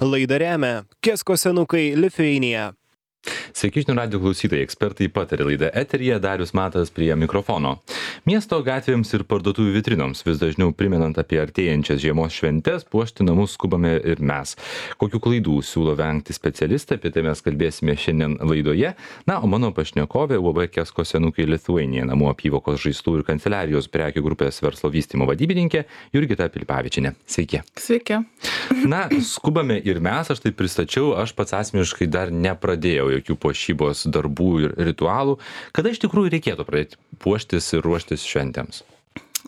Laidą remia Kesko senukai Lithuania. Sveiki žinių radijo klausytojai, ekspertai pataria laida eteryje, Darius Matas prie mikrofono. Miesto gatvėms ir parduotuvių vitrinoms vis dažniau primenant apie artėjančias žiemos šventes, puošti namus skubame ir mes. Kokių klaidų siūlo vengti specialistai, apie tai mes kalbėsime šiandien laidoje. Na, o mano pašnekovė UAB Kesko senukai Lithuania namų apyvokos žaislų ir kanceliarijos prekių grupės verslo vystymo vadybininkė Jurgita Pilipavičienė. Sveiki. Sveiki. Na, skubame ir mes, aš tai pristačiau, aš pats asmeniškai dar nepradėjau jokių puošybos darbų ir ritualų. Kada iš tikrųjų reikėtų pradėti puoštis ir ruoštis šventėms?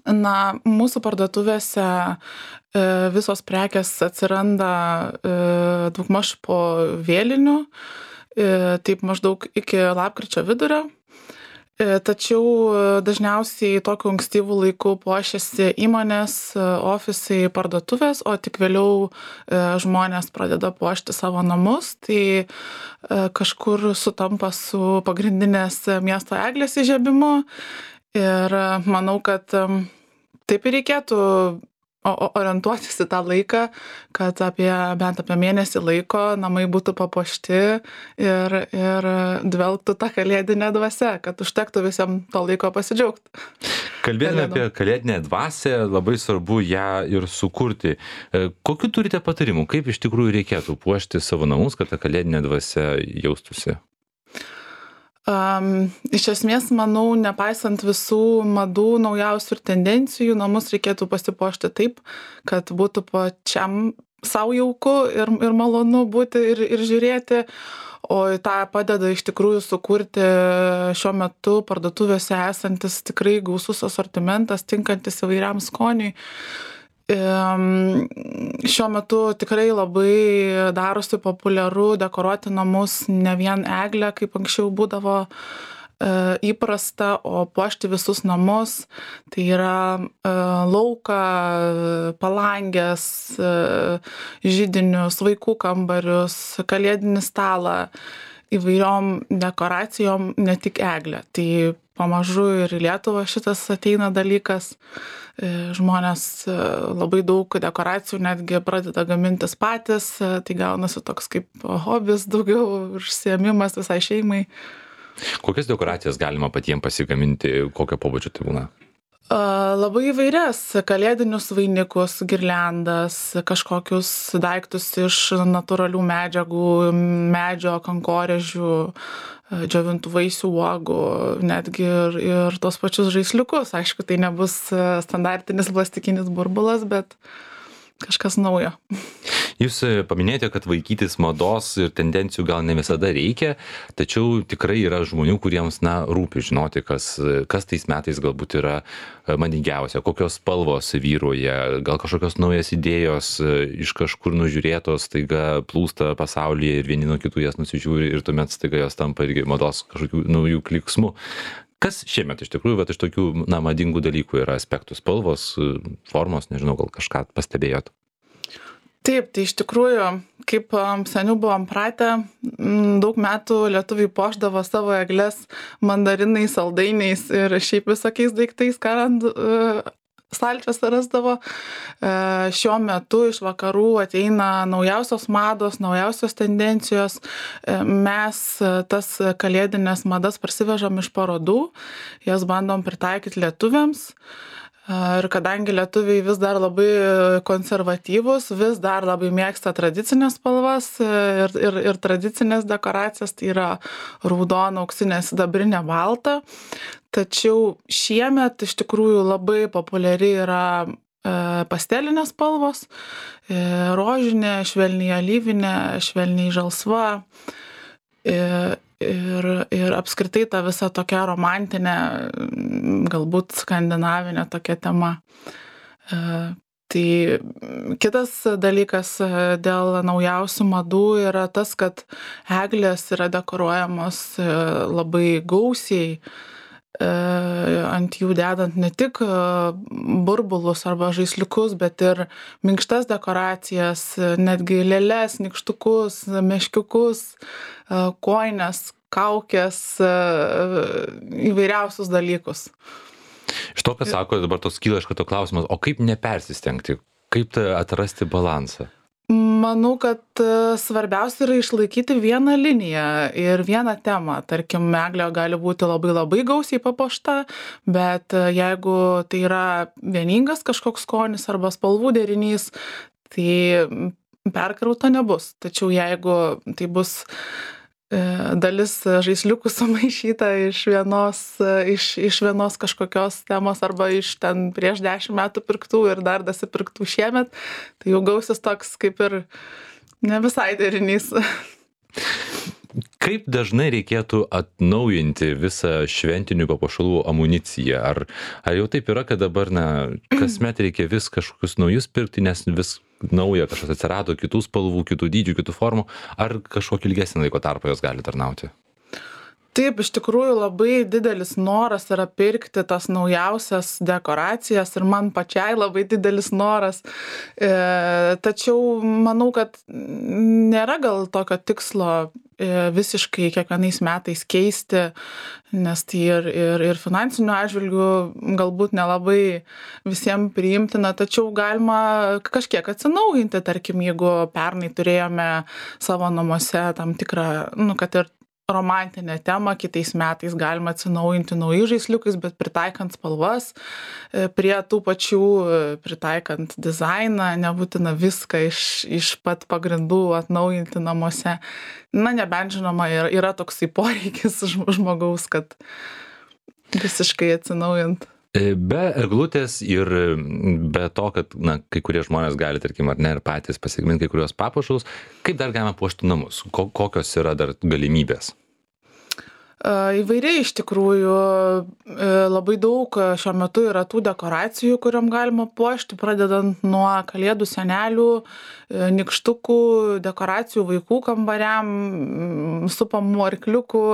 Na, mūsų parduotuvėse visos prekės atsiranda daugmaž po vėlinių, taip maždaug iki lapkričio vidurio. Tačiau dažniausiai tokiu ankstyvų laikų puošiasi įmonės, ofisai, parduotuvės, o tik vėliau žmonės pradeda puošti savo namus. Tai kažkur sutampa su pagrindinės miesto eglės įžiebimu. Ir manau, kad taip ir reikėtų orientuotis į tą laiką, kad bent apie mėnesį laiko namai būtų papuošti ir dvelgtų tą kalėdinę dvasią, kad užtektų visiems to laiko pasidžiaugti. Kalbėdami apie kalėdinę dvasią, labai svarbu ją ir sukurti. Kokių turite patarimų, kaip iš tikrųjų reikėtų puošti savo namus, kad ta kalėdinė dvasia jaustųsi? Iš esmės, manau, nepaisant visų madų, naujausių ir tendencijų, namus reikėtų pasipuošti taip, kad būtų pačiam savo jauku ir malonu būti ir žiūrėti, o tą padeda iš tikrųjų sukurti šiuo metu parduotuvėse esantis tikrai gausus asortimentas, tinkantis įvairiam skoniui. Šiuo metu tikrai labai darosi populiaru dekoruoti namus ne vien eglę, kaip anksčiau būdavo įprasta, o puošti visus namus. Tai yra lauką, palangės, židinius, vaikų kambarius, kalėdinį stalą, įvairiom dekoracijom, ne tik eglę. Tai pamažu ir į Lietuvą šitas ateina dalykas. Žmonės labai daug dekoracijų netgi pradeda gamintis patys, tai gaunasi toks kaip hobis, daugiau užsiėmimas visai šeimai. Kokias dekoracijas galima patiems pasigaminti, kokio pobūdžio tai būna? Labai įvairias, kalėdinius vainikus, girliandas, kažkokius daiktus iš natūralių medžiagų, medžio, kankorėžių, džiovintų vaisių, uogų, netgi ir tos pačius žaisliukus. Aišku, tai nebus standartinis plastikinis burbulas, bet kažkas naujo. Jūs paminėjote, kad vaikytis mados ir tendencijų gal ne visada reikia, tačiau tikrai yra žmonių, kuriems rūpi žinoti, kas tais metais galbūt yra madingiausia, kokios spalvos vyruoja, gal kažkokios naujas idėjos iš kažkur nužiūrėtos, staiga plūsta pasaulyje ir vieni nuo kitų jas nusižiūri ir tuomet staiga jos tampa irgi mados kažkokių naujų kliksmų. Kas šiemet iš tikrųjų, bet iš tokių madingų dalykų yra aspektų, spalvos, formos, nežinau, gal kažką pastebėjot? Taip, tai iš tikrųjų, kaip seniau buvom pratę, daug metų lietuviai puošdavo savo egles mandarinais, saldainiais ir šiaip visokiais daiktais, ką stalčiuose rasdavo. Šiuo metu iš vakarų ateina naujausios mados, naujausios tendencijos. Mes tas kalėdinės madas parsivežam iš parodų, jas bandom pritaikyti lietuviams. Ir kadangi lietuviai vis dar labai konservatyvūs, vis dar labai mėgsta tradicinės spalvas ir tradicinės dekoracijas, tai yra raudona, auksinė, sidabrinė, balta. Tačiau šiemet iš tikrųjų labai populiari yra pastelinės spalvos, rožinė, švelniai alyvinė, švelniai žalsva. Ir apskritai ta visa tokia romantinė, galbūt skandinavinė tokia tema. Tai kitas dalykas dėl naujausių madų yra tas, kad eglės yra dekoruojamos labai gausiai, ant jų dedant ne tik burbulus arba žaisliukus, bet ir minkštas dekoracijas, netgi lėles, nykštukus, meškiukus, kojines, kaukės, įvairiausius dalykus. Iš to, ką sako, dabar tos kyla iš karto klausimas, o kaip nepersistengti, kaip atrasti balansą? Manau, kad svarbiausia yra išlaikyti vieną liniją ir vieną temą. Tarkim, eglė gali būti labai gausiai papuošta, bet jeigu tai yra vieningas kažkoks skonis arba spalvų derinys, tai perkrauta nebus. Tačiau jeigu tai bus dalis žaisliukų sumaišyta iš vienos kažkokios temos arba iš ten prieš 10 metų pirktų ir dar dasipirktų šiemet, tai jau gausis toks kaip ir ne visai derinys. Kaip dažnai reikėtų atnaujinti visą šventinių papuošalų amuniciją? Ar jau taip yra, kad dabar, kasmet reikia vis kažkokius naujus pirkti, nes vis nauja kažkas atsirado, kitų spalvų, kitų dydžių, kitų formų, ar kažkokį ilgesnį laiko tarpą jos gali tarnauti? Taip, iš tikrųjų labai didelis noras yra pirkti tas naujausias dekoracijas ir man pačiai labai didelis noras. Tačiau manau, kad nėra gal tokio tikslo visiškai kiekvienais metais keisti, nes tai ir finansinių atžvilgių galbūt nelabai visiems priimtina, tačiau galima kažkiek atsinaujinti, tarkim, jeigu pernai turėjome savo namuose tam tikrą, kad ir romantinę temą, kitais metais galima atsinaujinti naujais žaisliukais, bet pritaikant spalvas, prie tų pačių pritaikant dizainą, nebūtina viską iš pat pagrindų atnaujinti namuose. Nebent žinoma, yra toksai poreikis žmogaus, kad visiškai atsinaujint. Be eglutės ir be to, kad kai kurie žmonės gali, tarkim, ar ne, ir patys pasigaminti kai kurios papuošalus, kaip dar galima puošti namus? Kokios yra dar galimybės? Įvairiai iš tikrųjų, labai daug šiuo metu yra tų dekoracijų, kuriom galima puošti, pradedant nuo kalėdų senelių, nykštukų, dekoracijų vaikų kambariam, supamų arkliukų.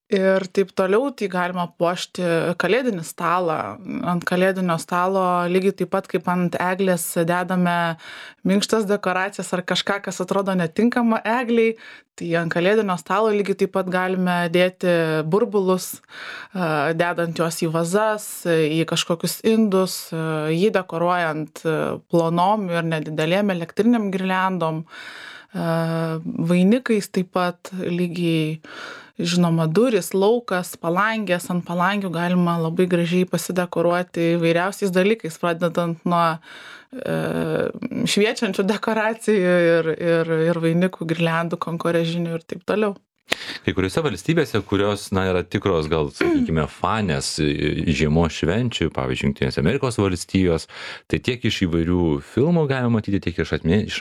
Ir taip toliau, tai galima puošti kalėdinį stalą. Ant kalėdinio stalo lygiai taip pat kaip ant eglės dedame minkštas dekoracijas ar kažką, kas atrodo netinkama egliai, tai ant kalėdinio stalo lygiai taip pat galime dėti burbulus, dedant juos į vazas, į kažkokius indus, jį dekoruojant plonom ir nedidelėm elektriniam girliandom, vainikais taip pat lygiai. Žinoma, durys, laukas, palangės, ant palangių galima labai gražiai pasidekoruoti įvairiausiais dalykais, pradedant nuo šviečiančių dekoracijų ir vainikų, girliandų, kankorėžinių ir taip toliau. Kai kuriuose valstybėse, kurios yra tikros, gal, sakykime, fanės žiemos švenčių, pavyzdžiui, Jungtinės Amerikos valstijos, tai tiek iš įvairių filmų galima matyti, tiek iš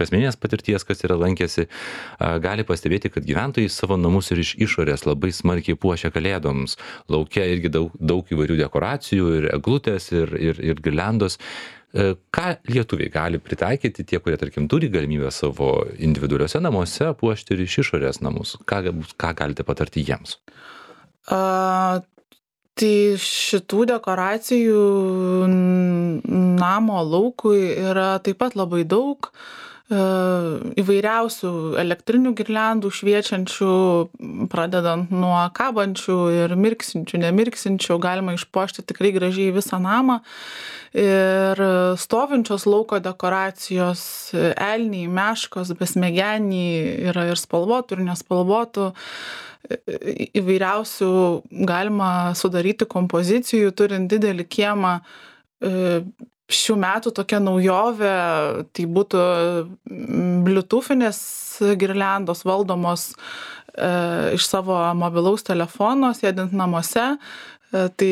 asmeninės patirties, kas yra lankėsi, gali pastebėti, kad gyventojai savo namus ir iš išorės labai smarkiai puošia kalėdoms. Lauke irgi daug įvairių dekoracijų, ir eglutės, ir girliandos. Ką lietuviai gali pritaikyti, tie, kurie, tarkim, turi galimybę savo individualiuose namuose puošti ir iš išorės namus? Ką galite patarti jiems? Tai šitų dekoracijų namo laukui yra taip pat labai daug. Įvairiausių elektrinių girliandų šviečiančių, pradedant nuo kabančių ir mirksinčių, nemirksinčių, galima išpuošti tikrai gražiai visą namą. Ir stovinčios lauko dekoracijos, elniai, meškos, besmegeniai, yra ir spalvotų, ir nespalvotų. Įvairiausių galima sudaryti kompozicijų, turint didelį kiemą. Šių metų tokia naujovė, tai būtų bluetoothinės girliandos valdomos iš savo mobilaus telefono, sėdint namuose. Tai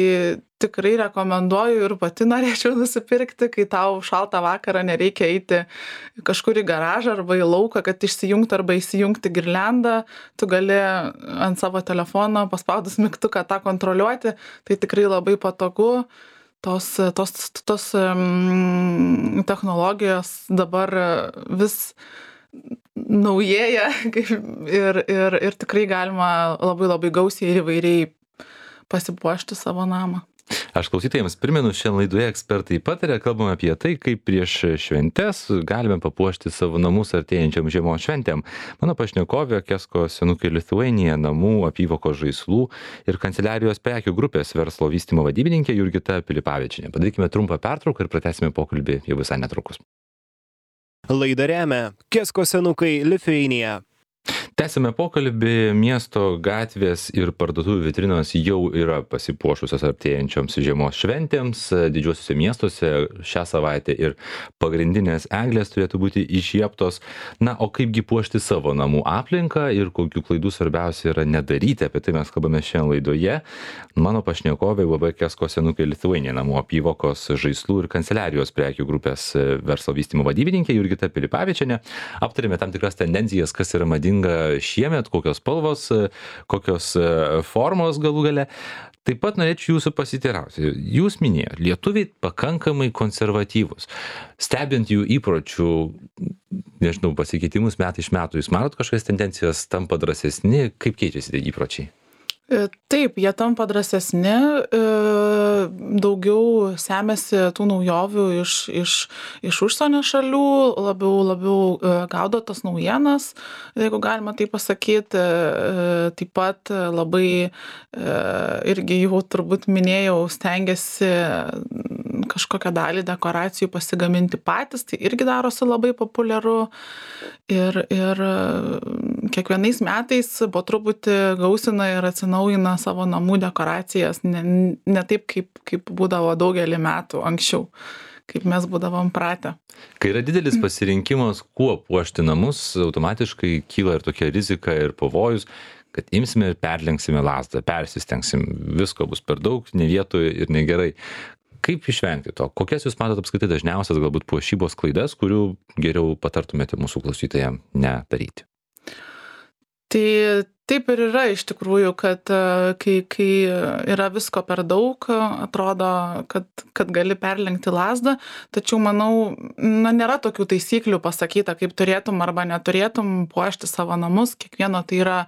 tikrai rekomenduoju ir pati norėčiau nusipirkti, kai tau šaltą vakarą nereikia eiti kažkur į garažą arba į lauką, kad išsijungti arba įsijungti girliandą. Tu gali ant savo telefono paspaudus mygtuką tą kontroliuoti. Tai tikrai labai patogu. Tos technologijos dabar vis naujėja ir tikrai galima labai gausiai ir įvairiai pasipuošti savo namą. Aš klausytojams primenu, šiandien laidoje ekspertai pataria, kalbame apie tai, kaip prieš šventes galime papuošti savo namus artėjančiam žiemos šventėm. Mano pašnekovė Kesko Senukai Lithuania namų apyvokos žaislų ir kanceliarijos prekių grupės verslo vystymo vadybininkė Jurgita Pilipavičienė. Padarykime trumpą pertrauką ir pratęsime pokalbį jau visai netrukus. Laidą remia Kesko senukai Lithuania. Tęsime pokalbį. Miesto gatvės ir parduotuvių vitrinos jau yra pasipuošusios artėjančioms žiemos šventėms. Didžiuosiuose miestuose šią savaitę ir pagrindinės eglės turėtų būti įžiebtos. Na, o kaipgi puošti savo namų aplinką ir kokių klaidų svarbiausia yra nedaryti, apie tai mes kalbame šiandien laidoje. Mano pašnekovai UAB Kesko senukai Lithuania namų apyvokos, žaislų ir kanceliarijos prekių grupės verslo vystymo vadybininkė Jurgita Pilipavičienė. Aptarėme tam tikras tendencijas, kas yra madinga šiemet, kokios spalvos, kokios formos galų gale. Taip pat norėčiau jūsų pasiteirauti. Jūs minėjote, lietuviai pakankamai konservatyvūs. Stebint jų įpročių, nežinau, pasikeitimus metai iš metų, jūs matot kažkokias tendencijas, tampa drąsesni, kaip keičiasi tie įpročiai? Taip, jie tampa drąsesni, daugiau semiasi tų naujovių iš užsienio šalių, labiau gaudo tas naujienas, jeigu galima tai pasakyti. Taip pat labai, irgi jau turbūt minėjau, stengiasi kažkokią dalį dekoracijų pasigaminti patys, tai irgi darosi labai populiaru. Ir kiekvienais metais po truputį gausina ir atsinaujina savo namų dekoracijas, ne taip, kaip būdavo daugelį metų anksčiau, kaip mes būdavom pratę. Kai yra didelis pasirinkimas, kuo puošti namus, automatiškai kyla ir tokia rizika ir pavojus, kad imsime ir perlenksime lazdą, persistengsim, visko bus per daug, ne vietoje ir negerai. Kaip išvengti to? Kokias jūs matot apskritai dažniausias galbūt puošybos klaidas, kurių geriau patartumėte mūsų klausytojams nedaryti? Tai taip ir yra iš tikrųjų, kad kai yra visko per daug, atrodo, kad gali perlenkti lazdą, tačiau manau, nėra tokių taisyklių pasakyta, kaip turėtum arba neturėtum puošti savo namus, kiekvieno tai yra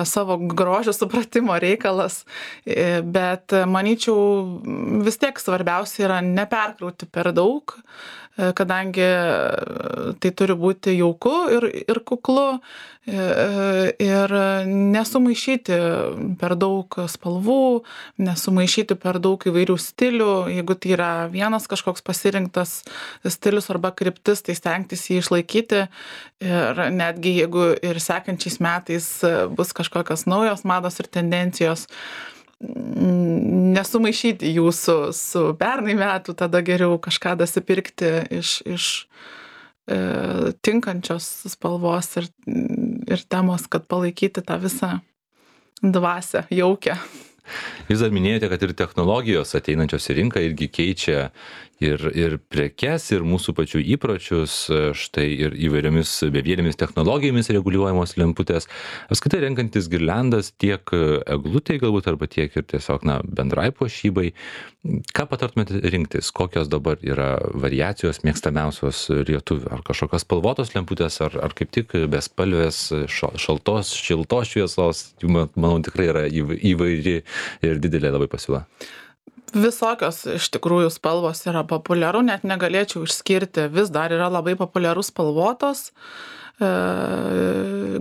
savo grožio supratimo reikalas, bet manyčiau vis tiek svarbiausia yra neperkrauti per daug, kadangi tai turi būti jauku ir kuklu ir nesumaišyti per daug spalvų, nesumaišyti per daug įvairių stilių. Jeigu tai yra vienas kažkoks pasirinktas stilius arba kryptis, tai stengtis jį išlaikyti ir netgi jeigu ir sekančiais metais bus kažkokios naujos mados ir tendencijos, nesumaišyti jų su pernai metų, tada geriau kažką dasipirkti iš tinkančios spalvos ir temos, kad palaikyti tą visą dvasią, jaukę. Jūs dar minėjote, kad ir technologijos ateinančios į rinką irgi keičia ir prekes, ir mūsų pačių įpročius, štai ir įvairiomis bevielėmis technologijomis reguliuojamos lemputės. Apskritai renkantis girliandas tiek eglutei galbūt, arba tiek ir tiesiog bendrai puošybai. Ką patartumėte rinktis? Kokios dabar yra variacijos mėgstamiausios lietuvių? Ar kažkokios spalvotos lemputės, ar kaip tik bespalvės, šiltos šviesos? Manau, tikrai yra įvairi ir didelė labai pasiūla. Visokios iš tikrųjų spalvos yra populiaru, net negalėčiau išskirti, vis dar yra labai populiarus spalvotos,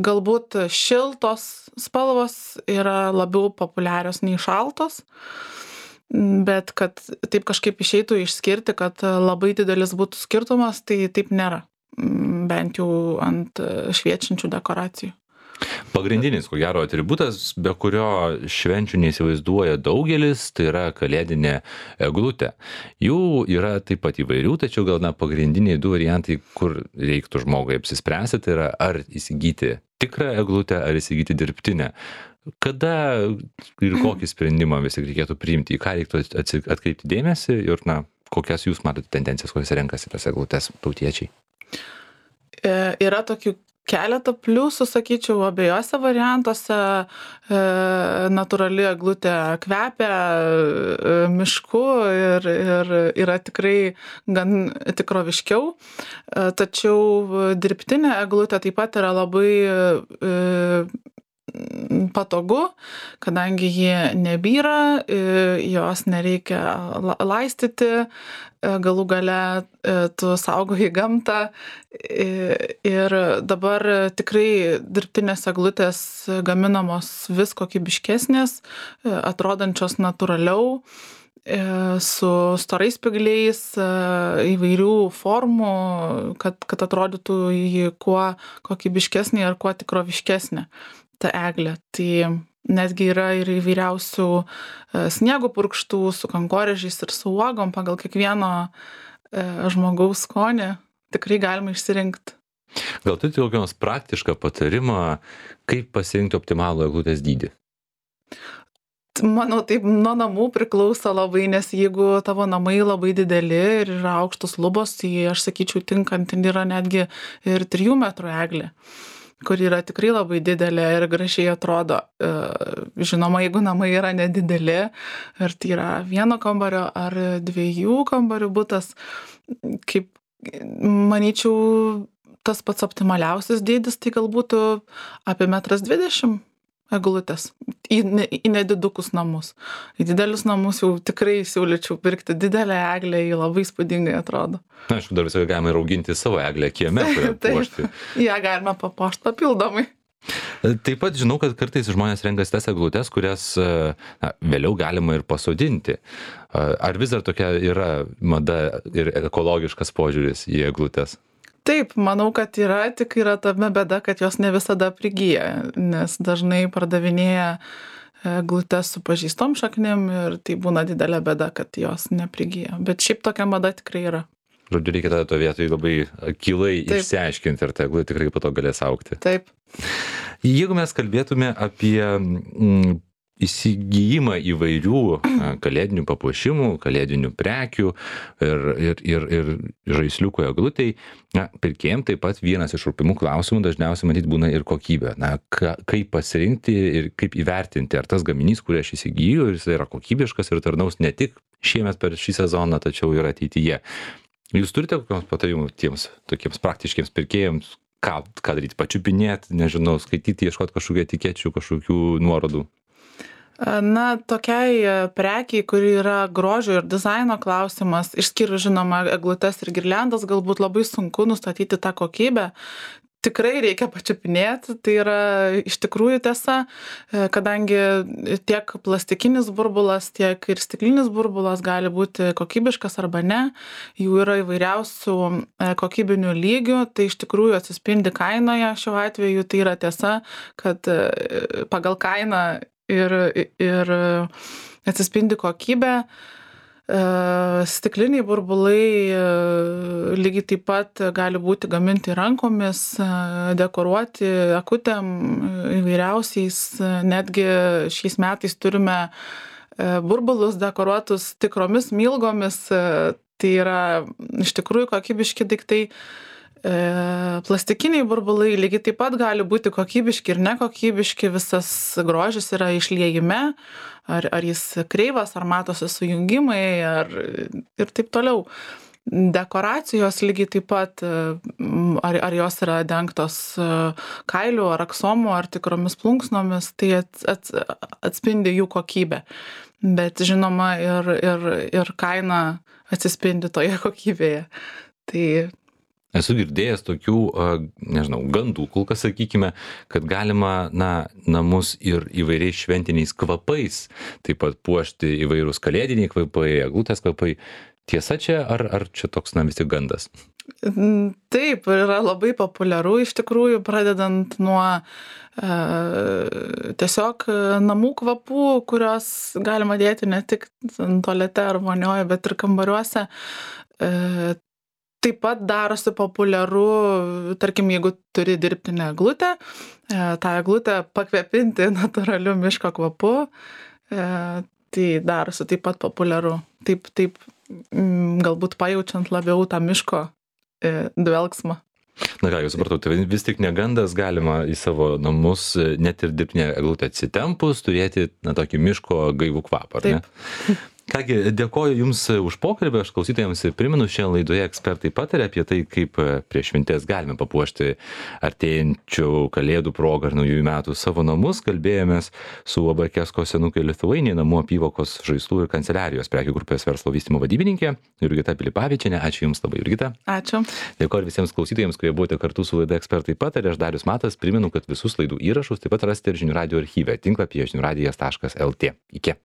galbūt šiltos spalvos yra labiau populiarios nei šaltos, bet kad taip kažkaip išeitų išskirti, kad labai didelis būtų skirtumas, tai taip nėra, bent jau ant šviečiančių dekoracijų. Pagrindinis, ko gero, atributas, be kurio švenčių neįsivaizduoja daugelis, tai yra kalėdinė eglutė. Jų yra taip pat įvairių, tačiau gal pagrindiniai du variantai, kur reiktų žmogui apsispręsti, tai yra ar įsigyti tikrą eglutę, ar įsigyti dirbtinę. Kada ir kokį sprendimą vis tik reikėtų priimti, į ką reiktų atkreipti dėmesį ir kokias jūs matote tendencijas, kokias renkasi tas eglutės tautiečiai? Yra tokių keletą pliusų, sakyčiau, abiejose variantuose. Natūrali eglutė kvepia mišku ir yra tikrai gan tikroviškiau. Tačiau dirbtinė eglutė taip pat yra labai patogu, kadangi ji nebyra, jos nereikia laistyti, galų gale tu saugoji gamtą ir dabar tikrai dirbtinės eglutės gaminamos vis kokybiškesnės, atrodančios natūraliau su storais spygliais, įvairių formų, kad atrodytų ji kuo kokybiškesnė ir kuo tikroviškesnė ta eglė. Tai netgi yra ir įvairiausių sniego purkštų su kankorėžiais ir su uogom pagal kiekvieno žmogaus skonį. Tikrai galima išsirinkti. Gal turite kokį nors praktišką patarimą, kaip pasirinkti optimalų eglutės dydį? Manau, taip nuo namų priklauso labai, nes jeigu tavo namai labai dideli ir yra aukštos lubos, tai aš sakyčiau, tinkant yra netgi ir 3 metrų eglė, kur yra tikrai labai didelė ir gražiai atrodo. Žinoma, jeigu namai yra nedideli, ir tai yra 1 kambario ar 2 kambarių butas, kaip manyčiau, tas pats optimaliausias dydis, tai galbūt apie 1,20 m eglutės į nedidukus namus. Į didelius namus jau tikrai siūlyčiau pirkti didelę eglę, ji labai įspūdingai atrodo. Na, aišku, dar visai galima ir auginti savo eglę kieme, kurią puošti. Ja galima papuošti papildomai. Taip pat žinau, kad kartais žmonės renkasi tas eglutes, kurias vėliau galima ir pasodinti. Ar vis dar tokia yra mada ir ekologiškas požiūris į eglutes? Taip, manau, kad yra, tik yra tame bėda, kad jos ne visada prigyja, nes dažnai pardavinėja eglutes su pažeistom šaknim ir tai būna didelė bėda, kad jos neprigyja. Bet šiaip tokia mada tikrai yra. Žodžiu, reikia tada to vietoj labai akylai išsiaiškinti, ar ta eglutė tikrai po to galės augti. Taip. Jeigu mes kalbėtume apie įsigijimą įvairių kalėdinių papuošimų, kalėdinių prekių ir žaisliukų eglutei, pirkėjams taip pat vienas iš rūpimų klausimų dažniausiai matyt būna ir kokybė. Kaip pasirinkti ir kaip įvertinti, ar tas gaminys, kurį aš įsigiju, jis yra kokybiškas ir tarnaus ne tik šiemet per šį sezoną, tačiau ir ateityje. Jūs turite kokios patarimų tiems tokiems praktiškiams pirkėjams, ką daryti, pačiupinėti, nežinau, skaityti, ieškoti kažkokių etikečių, kažkokių nuorodų? Na, tokiai prekiai, kuri yra grožio ir dizaino klausimas, išskyrus žinoma eglutes ir girliandas, galbūt labai sunku nustatyti tą kokybę. Tikrai reikia pačiupinėti, tai yra iš tikrųjų tiesa, kadangi tiek plastikinis burbulas, tiek ir stiklinis burbulas gali būti kokybiškas arba ne, jų yra įvairiausių kokybinių lygių, tai iš tikrųjų atsispindi kainoje šiuo atveju, tai yra tiesa, kad pagal kainą ir atsispindi kokybė. Stikliniai burbulai lygiai taip pat gali būti gaminti rankomis, dekoruoti akutėm įvairiausiais. Netgi šiais metais turime burbulus dekoruotus tikromis milgomis. Tai yra iš tikrųjų kokybiški daiktai. Plastikiniai burbulai lygiai taip pat gali būti kokybiški ir nekokybiški, visas grožis yra išliejime, ar jis kreivas, ar matosi sujungimai, ir taip toliau. Dekoracijos lygiai taip pat, ar jos yra dengtos kailiu, ar aksomu, ar tikromis plunksnomis, tai atspindi jų kokybę. Bet žinoma ir kaina atsispindi toje kokybėje. Tai esu girdėjęs tokių, nežinau, gandų, kol kas sakykime, kad galima, namus ir įvairiais šventiniais kvapais, taip pat puošti įvairūs kalėdiniai kvapai, eglutės kvapai. Tiesa čia, ar čia toks, vis tik gandas? Taip, yra labai populiaru iš tikrųjų, pradedant nuo tiesiog namų kvapų, kurios galima dėti ne tik tualete ar vonioje, bet ir kambariuose. Taip pat darosi populiaru, tarkim, jeigu turi dirbtinę eglutę, tą eglutę pakvepinti natūraliu miško kvapu, tai darosi taip pat populiaru. Taip galbūt pajaučiant labiau tą miško dvelksmą. Na ką, jūs supratau, tai vis tik negandas galima į savo namus, net ir dirbtinę eglutę atsitempus, turėti tokį miško gaivų kvapą, ar ne? Taip. Kągi, dėkoju Jums už pokalbį, aš klausytojams primenu, šiandien laidoje ekspertai pataria apie tai, kaip prieš šventes galime papuošti artėjančių kalėdų progą ir naujųjų metų savo namus. Kalbėjomės su UAB Kesko senukai Lithuania namų apyvokos žaislų ir kanceliarijos prekių grupės verslo vystymo vadybininkė Jurgita Pilipavičienė. Ačiū Jums labai, Jurgita. Ačiū. Dėkoju visiems klausytojams, kurie buvote kartu su laida ekspertai pataria. Aš Darius Matas, primenu, kad visus laidų įrašus taip pat rasite ir Žinių radijo archyve tinklapyje žiniųradijas.lt. Iki.